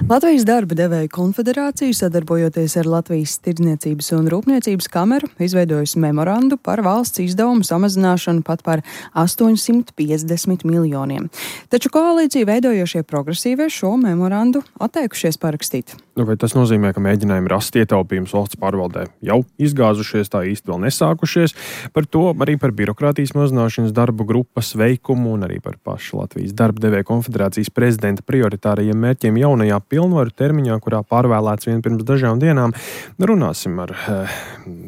Latvijas darba devēju konfederācija, sadarbojoties ar Latvijas Tirdzniecības un Rūpniecības kameru, izveidojusi memorandu par valsts izdevumu samazināšanu pat par 850 miljoniem. Taču koalīciju veidojošie progresīvie šo memorandu atteikušies parakstīt. Vai tas nozīmē, ka mēģinājumi rast ietaupījumus valsts pārvaldē jau izgāzušies, tā īsti vēl nesākušies? Par to arī par birokrātijas mazināšanas darbu grupas veikumu un arī par pašu Latvijas darba devēju konfederācijas prezidenta prioritārajiem mērķiem jaunajā pilnvaru termiņā, kurā pārvēlēts vien pirms dažām dienām. Runāsim ar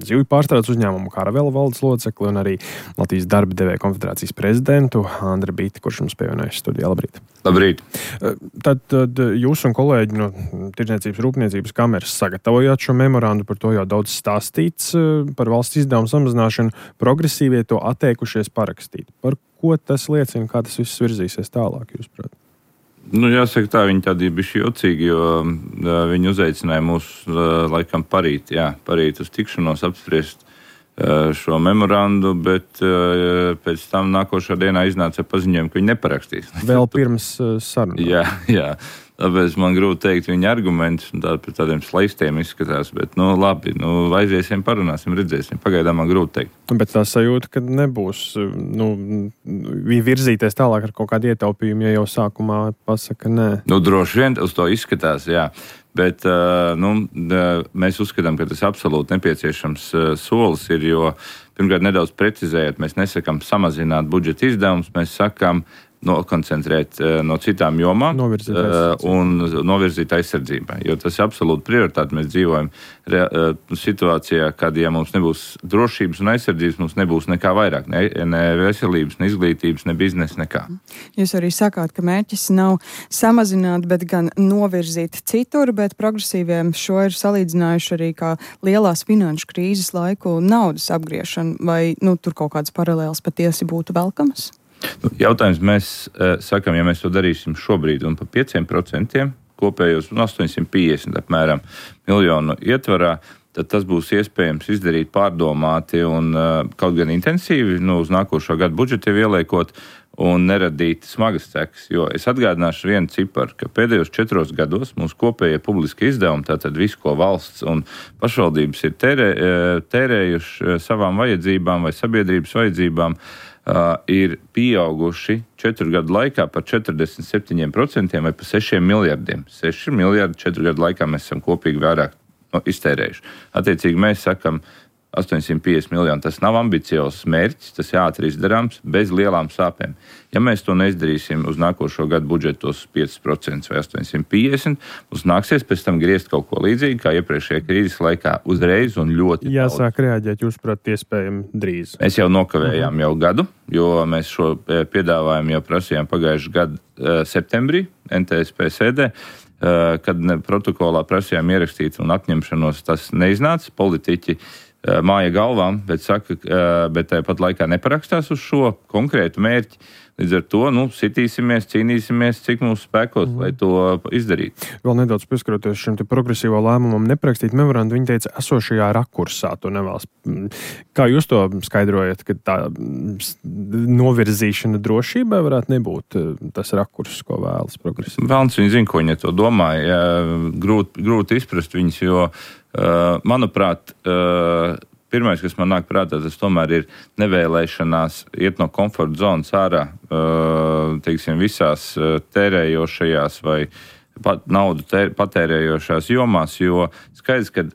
zivju pārstrādes uzņēmumu Karavela valdes locekli un arī Latvijas darba devēju konfederācijas prezidentu Andri Bīti, kurš mums pievienojas studijā. Labrīt! Labrīt! Tad jūs un kolēģi no Tirdzniecības Rūpniecības kameras sagatavojāt šo memorandu, par to jau daudz stāstīts par valsts izdevumu samazināšanu. Progresīvie to atteikušies parakstīt. Par ko tas liecina, kā tas viss virzīsies tālāk, jūsuprāt? Jāsaka tā, viņi tādi bišķi jocīgi, jo viņi uzaicināja mūs laikam parīt uz tikšanos apspriest šo memorandu, bet pēc tam nākošā dienā iznāca paziņojumu, ka viņi neparakstīs. Vēl pirms sarunām. Jā. Tāpēc man grūti teikt viņa argumentus, un par tādiem slaistiem izskatās, bet labi, aiziesim, parunāsim, redzēsim. Pagaidām man grūti teikt. Bet tā sajūta, ka nebūs virzīties tālāk ar kaut kādu ietaupījumu, ja jau sākumā pasaka nē. Droši vien uz to izskatās, jā. Bet mēs uzskatām, ka tas absolūti nepieciešams solis ir, jo pirmkārt nedaudz precizējot, mēs nesakām samazināt budžeta izdevumus, mēs sakām nokoncentrēt no citām jomām un novirzīt aizsardzībai. Jo tas ir absolūti prioritāte. Mēs dzīvojam situācijā, kad, ja mums nebūs drošības un aizsardzības, mums nebūs nekā vairāk. Ne veselības, ne izglītības, ne biznesa, nekā. Jūs arī sakāt, ka mērķis nav samazināt, bet gan novirzīt citur, bet progresīviem šo ir salīdzinājuši arī kā lielās finanšu krīzes laiku naudas apgriešanu. Vai tur kaut kādas paralēlas patiesi būtu velkamas? Jautājums mēs sakam, ja mēs to darīsim šobrīd un pa 5% kopējos 850 apmēram miljonu ietvarā, tad tas būs iespējams izdarīt pārdomāti un kaut gan intensīvi uz nākošo gadu budžetu ieliekot un neradīt smagas sekas. Jo es atgādināšu vienu ciparu, ka pēdējos 4 gados mūsu kopējie publiski izdevumi, tātad visu, ko valsts un pašvaldības ir tērējuši savām vajadzībām vai sabiedrības vajadzībām, ir pieauguši 4 gadu laikā par 47% vai par 6 miljardiem. 6 miljardi 4 gadu laikā mēs esam kopīgi vairāk iztērējuši. Attiecīgi mēs sakam 850 miljoni. Tas nav ambiciozs mērķis, tas ir ātri izdarāms, bez lielām sāpēm. Ja mēs to neizdarīsim uz nākošo gadu budžetos 5% vai 850, mums nāksies pēc tam griezt kaut ko līdzīgi, kā iepriekšējā krīzes laikā uzreiz un ļoti jāsāk reaģēt, jūs prāt, iespējami drīz. Mēs jau nokavējām jau gadu, jo mēs šo piedāvājumu jau prasījām pagājušajā gadu septembrī NTSP sēdē, kad protokolā prasījām ierakstīt un atņemšanos, tas neiznāca. Politiķi māja galvām, bet tāpat laikā neparakstās uz šo konkrētu mērķi. Līdz ar to sitīsimies, cīnīsimies, cik mūsu spēkos, lai to izdarītu. Vēl nedaudz pieskaroties šim te progresīvo lēmumam neprakstīt memorandu, viņi teica, esošajā rakursā to nevēlas. Kā jūs to skaidrojat, ka tā novirzīšana drošībai varētu nebūt tas rakurs, ko vēlas progresīvi? Vēlns viņi zina, ko viņi to domāja. Grūti izprast viņus, jo manuprāt, pirmais, kas man nāk prātā, tas tomēr ir nevēlēšanās iet no komforta zonas ārā, visās tērējošajās vai naudu patērējošās jomās, jo skaidrs, ka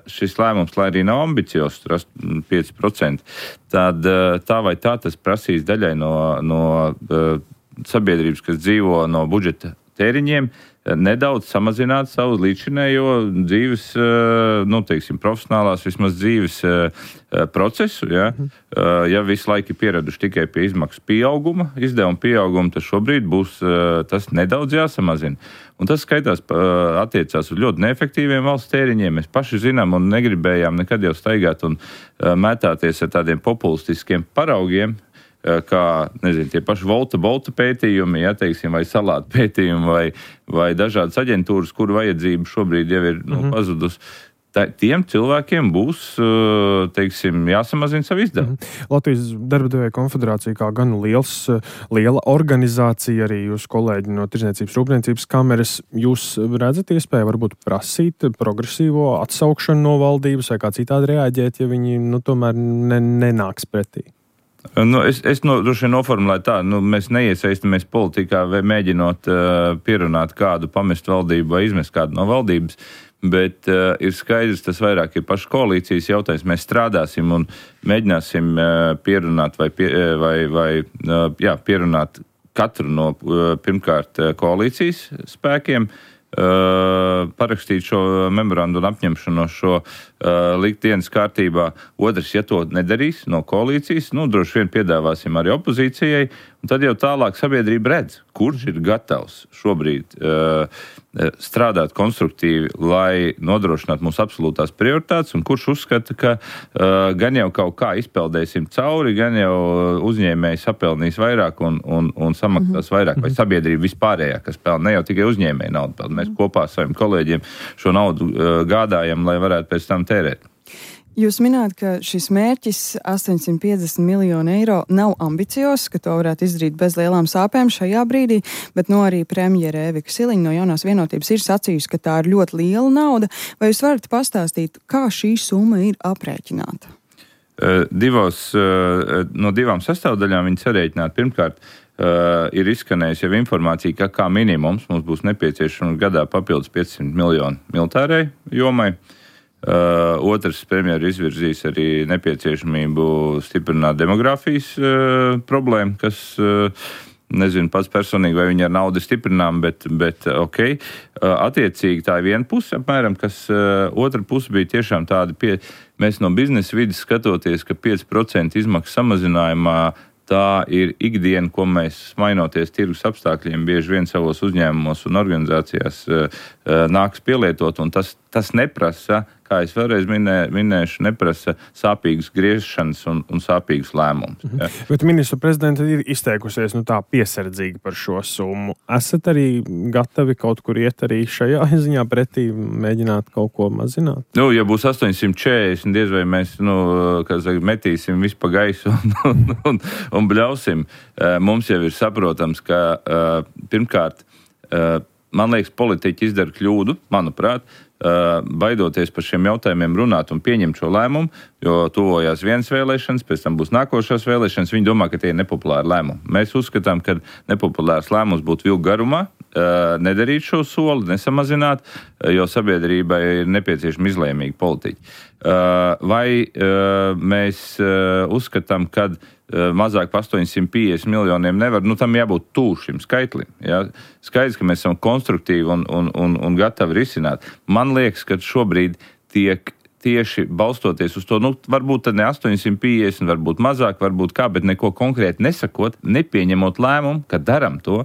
šis lēmums, lai arī nav ambiciozs, 5%, tad tā vai tā tas prasīs daļai no sabiedrības, kas dzīvo no budžeta tēriņiem, nedaudz samazināt savu līdzinējo dzīves, profesionālās vismaz dzīves procesu. Ja? Ja visu laiku ir pieraduši tikai pie izmaksu pieauguma, izdevuma pieauguma, tad šobrīd būs tas nedaudz jāsamazina. Un tas skaitās attiecās uz ļoti neefektīviem valsts tēriņiem. Mēs paši zinām un negribējām nekad jau staigāt un mētāties ar tādiem populistiskiem paraugiem, kā, tie paši Bolta pētījumi, vai salātu pētījumi, vai dažādas aģentūras, kuru vajadzība šobrīd jau ir pazudus. tiem cilvēkiem būs, teiksim, jāsamazina savu izdevumu. Latvijas darba devēja konfederācija kā gan liela organizācija, arī jūs kolēģi no Tirdzniecības rūpniecības kameras, jūs redzat iespēju varbūt prasīt progresīvo atsaukšanu no valdības vai kā citādi reaģēt, ja viņi tomēr nenāks pretī? Es droši vien noformulēju tā, mēs neiesaistamies politikā vai mēģinot pierunāt kādu pamest valdību vai izmest kādu no valdības, bet ir skaidrs, tas vairāk ir paša koalīcijas jautājums. Mēs strādāsim un mēģināsim pierunāt pierunāt katru no pirmkārt koalīcijas spēkiem, parakstīt šo memorandu un apņemšanos šo likt dienas kārtībā. Otrs, ja to nedarīs no koalīcijas, droši vien piedāvāsim arī opozīcijai, un tad jau tālāk sabiedrība redz, kurš ir gatavs šobrīd strādāt konstruktīvi, lai nodrošinātu mūsu absolūtās prioritātes, un kurš uzskata, ka gan jau kaut kā izpeldēsim cauri, gan jau uzņēmēji sapelnīs vairāk un samaksās vairāk, vai sabiedrība vispārējā, kas pelna, ne jau tikai uzņēmēji naudu pelna. Mēs kopā ar saviem kolēģiem šo naudu gādājam, lai varētu pēc tam tērēt. Jūs minējāt, ka šis mērķis 850 miljonu eiro nav ambiciozs, ka to varētu izdarīt bez lielām sāpēm šajā brīdī, bet arī premjere Evika Siliņa no Jaunās vienotības ir sacījusi, ka tā ir ļoti liela nauda. Vai jūs varat pastāstīt, kā šī summa ir aprēķināta? No divām sastāvdaļām viņi sarēķināti. Pirmkārt, ir izskanējusi jau informācija, ka kā minimums mums būs nepieciešams gadā papildus 500 miljonu militārai jomai. Otrs, premjeru izvirzīs arī nepieciešamību stiprināt demogrāfijas problēmu, kas, nezinu pats personīgi, vai viņi ar naudu stiprinām, bet ok. Attiecīgi tā ir viena puse apmēram, kas otra puse bija tiešām tāda mēs no biznesa vidas skatoties, ka 5% izmaksu samazinājumā tā ir ikdiena, ko mēs, mainoties tirgus apstākļiem, bieži vien savos uzņēmumos un organizācijās nāks pielietot, un tas neprasa, kā es vēlreiz minēšu, neprasa sāpīgas griešanas un sāpīgas lēmumus. Ja. Bet ministru prezidenta ir izteikusies tā piesardzīgi par šo summu. Esat arī gatavi kaut kur iet arī šajā ziņā pretī, mēģināt kaut ko mazināt? Ja būs 840, diez vai mēs, metīsim visu pa gaisu un bļausim. Mums jau ir saprotams, ka pirmkārt, man liekas, politiķi izdara kļūdu, manuprāt, baidoties par šiem jautājumiem runāt un pieņemt šo lēmumu, jo tuvojās vienas vēlēšanas, pēc tam būs nākošās vēlēšanas, viņi domā, ka tie ir nepopulāri lēmumi. Mēs uzskatām, ka nepopulārs lēmums būtu vilku garumā, nedarīt šo soli, nesamazināt, jo sabiedrībai ir nepieciešami izlēmīgi politiķi. Vai mēs uzskatām, ka mazāk par 850 miljoniem nevar, tam jābūt tuvu šim skaitlim. Ja? Skaidrs, ka mēs esam konstruktīvi un gatavi risināt. Man liekas, ka šobrīd tiek tieši balstoties uz to, varbūt tad ne 850, varbūt mazāk, varbūt kā, bet neko konkrēti nesakot, nepieņemot lēmumu, ka daram to,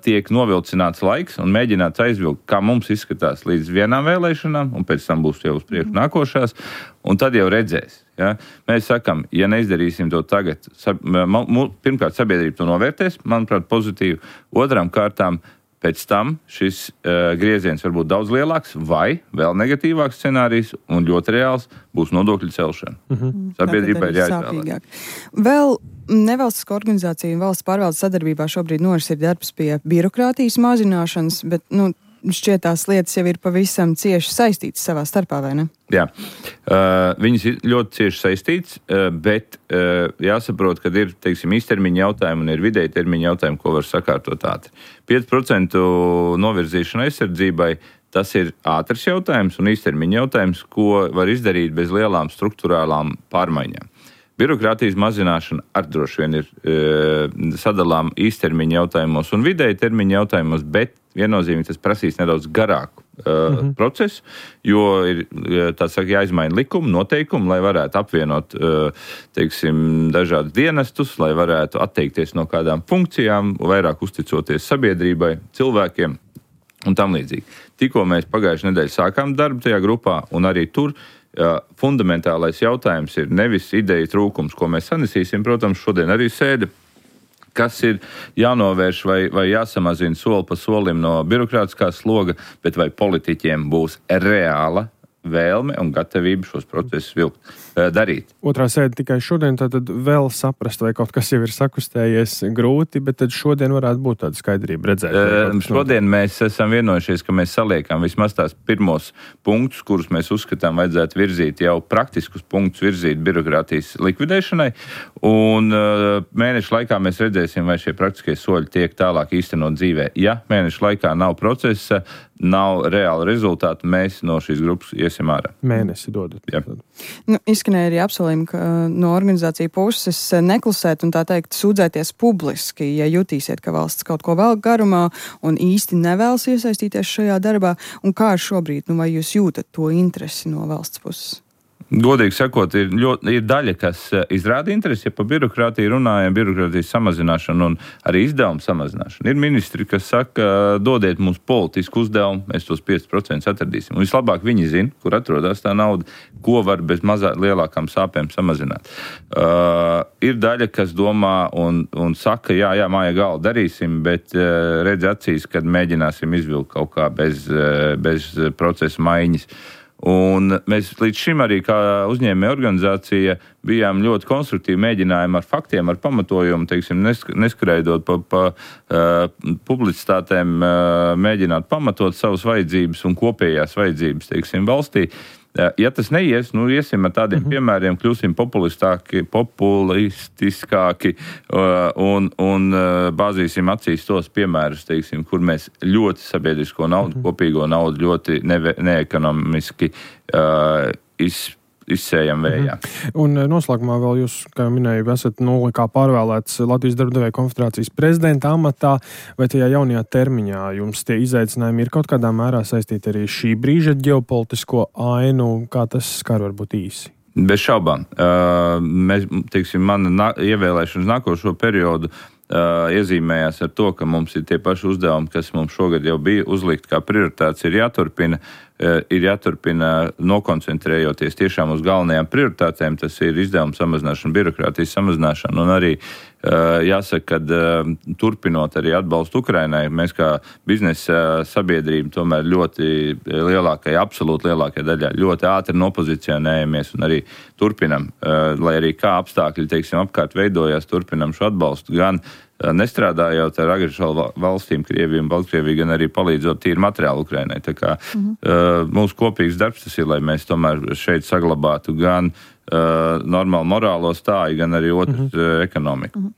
tiek novilcināts laiks un mēģināts aizvilkt, kā mums izskatās līdz vienām vēlēšanām, un pēc tam būs jau uz priekšu nākošās, un tad jau redzēs. Ja? Mēs sakam, ja neizdarīsim to tagad, pirmkārt sabiedrība to novērtēs, manuprāt, pozitīvi, otram kārtām pēc tam šis grieziens var būt daudz lielāks vai vēl negatīvāks scenārijs un ļoti reāls būs nodokļu celšana. Sabiedrībai ir jāizvēlās. Vēl nevalstisko organizāciju un valsts pārvaldes sadarbībā šobrīd noris ir darbs pie birokrātijas mazināšanas, bet šķiet tās lietas jau ir pavisam cieši saistītas savā starpā, vai ne? Jā, viņas ir ļoti cieši saistītas, bet jāsaprot, ka ir, īstermiņa jautājumi un ir vidēji termiņa jautājumi, ko var sakārtot ātri. 5% novirzīšana aizsardzībai, tas ir ātrs jautājums un īstermiņa jautājums, ko var izdarīt bez lielām struktūrālām pārmaiņām. Birokrātijas mazināšana arī droši vien ir sadalām īstermiņa jautājumos un vidēji termiņa jautājumos, bet viennozīmīgi tas prasīs nedaudz garāku procesu, jo ir, jāizmaina likuma, noteikumi, lai varētu apvienot, dažādus dienestus, lai varētu atteikties no kādām funkcijām, vairāk uzticoties sabiedrībai, cilvēkiem un tam līdzīgi. Tikko mēs pagājušajā nedēļā sākām darbu tajā grupā un arī tur, fundamentālais jautājums ir nevis ideja trūkums, ko mēs sanesīsim, protams, šodien arī sēde, kas ir jānovērš vai jāsamazina soli pa solim no birokrātiskā sloga, bet vai politiķiem būs reāla vēlme un gatavība šos procesus darīt. Otrā sēde tikai šodien, tad vēl saprast, vai kaut kas jau ir sakustējies grūti, bet tad šodien varētu būt tāda skaidrība redzēt. Šodien mēs esam vienojušies, ka mēs saliekam vismaz tās pirmos punktus, kurus mēs uzskatām vajadzētu virzīt, jau praktiskus punktus virzīt birokrātijas likvidēšanai, un mēnešu laikā mēs redzēsim, vai šie praktiskie soļi tiek tālāk īstenot dzīvē. Ja mēnešu laikā nav procesa, nav reāla rezultāta, mēs no šīs grupas iesim ārā. Mēnesi dodat. Jā. Izskanēja arī apsolījumi, ka no organizāciju puses neklusēt un tā teikt sūdzēties publiski, ja jutīsiet, ka valsts kaut ko vēl garumā un īsti nevēlas iesaistīties šajā darbā. Un kā šobrīd, vai jūs jūtat to interesi no valsts puses? Godīgi sakot, ir daļa, kas izrāda interesi, ja pa birokrātiju runājam, birokrātijas samazināšanu un arī izdevumu samazināšanu. Ir ministri, kas saka, dodiet mums politisku uzdevumu, mēs tos 5% atradīsim. Un vislabāk viņi zina, kur atrodas tā nauda, ko var bez lielākām sāpēm samazināt. Ir daļa, kas domā un saka, jā, māja gala darīsim, bet redz acīs, kad mēģināsim izvilkt kaut kā bez procesa maiņas. Un mēs līdz šim arī kā uzņēmēja organizācija bijām ļoti konstruktīvi mēģinājumi ar faktiem, ar pamatojumu, teiksim, neskraidot pa publicitātēm, mēģināt pamatot savas vajadzības un kopējās vajadzības, teiksim, valstī. Ja tas neies, iesim ar tādiem piemēriem, kļūsim populistiskāki un bāzīsim acīs tos piemērus, teiksim, kur mēs ļoti sabiedrisko naudu, kopīgo naudu ļoti neekonomiski izsējam vējā. Un noslēgumā vēl jūs, kā jau minēju, esat kā pārvēlēts Latvijas darba devēju konfederācijas prezidenta amatā, vai tajā jaunajā termiņā jums tie izaicinājumi ir kaut kādā mērā saistīti arī šī brīža ģeopolitisko ainu, kā tas skar varbūt īsi? Bez šaubām. Mana ievēlēšanas nākošo periodu iezīmējās ar to, ka mums ir tie paši uzdevumi, kas mums šogad jau bija uzlikt kā prioritāts, ir jāturpina nokoncentrējoties tiešām uz galvenajām prioritātēm, tas ir izdevumu samazināšana, birokrātijas samazināšana un arī jāsaka, ka turpinot arī atbalstu Ukrainai, mēs kā biznesa sabiedrība tomēr absolūti lielākajā daļā ļoti ātri nopozicionējamies un arī turpinam, lai arī kā apstākļi, teiksim, apkārt veidojās, turpinam šo atbalstu gan nestrādājot ar agresoru valstīm, Krieviju un Baltkrieviju, gan arī palīdzot tīri materiālu Ukrainai. Tā kā mūsu kopīgs darbs tas ir, lai mēs tomēr šeit saglabātu gan normālu morālo stāju, gan arī otrs ekonomiku.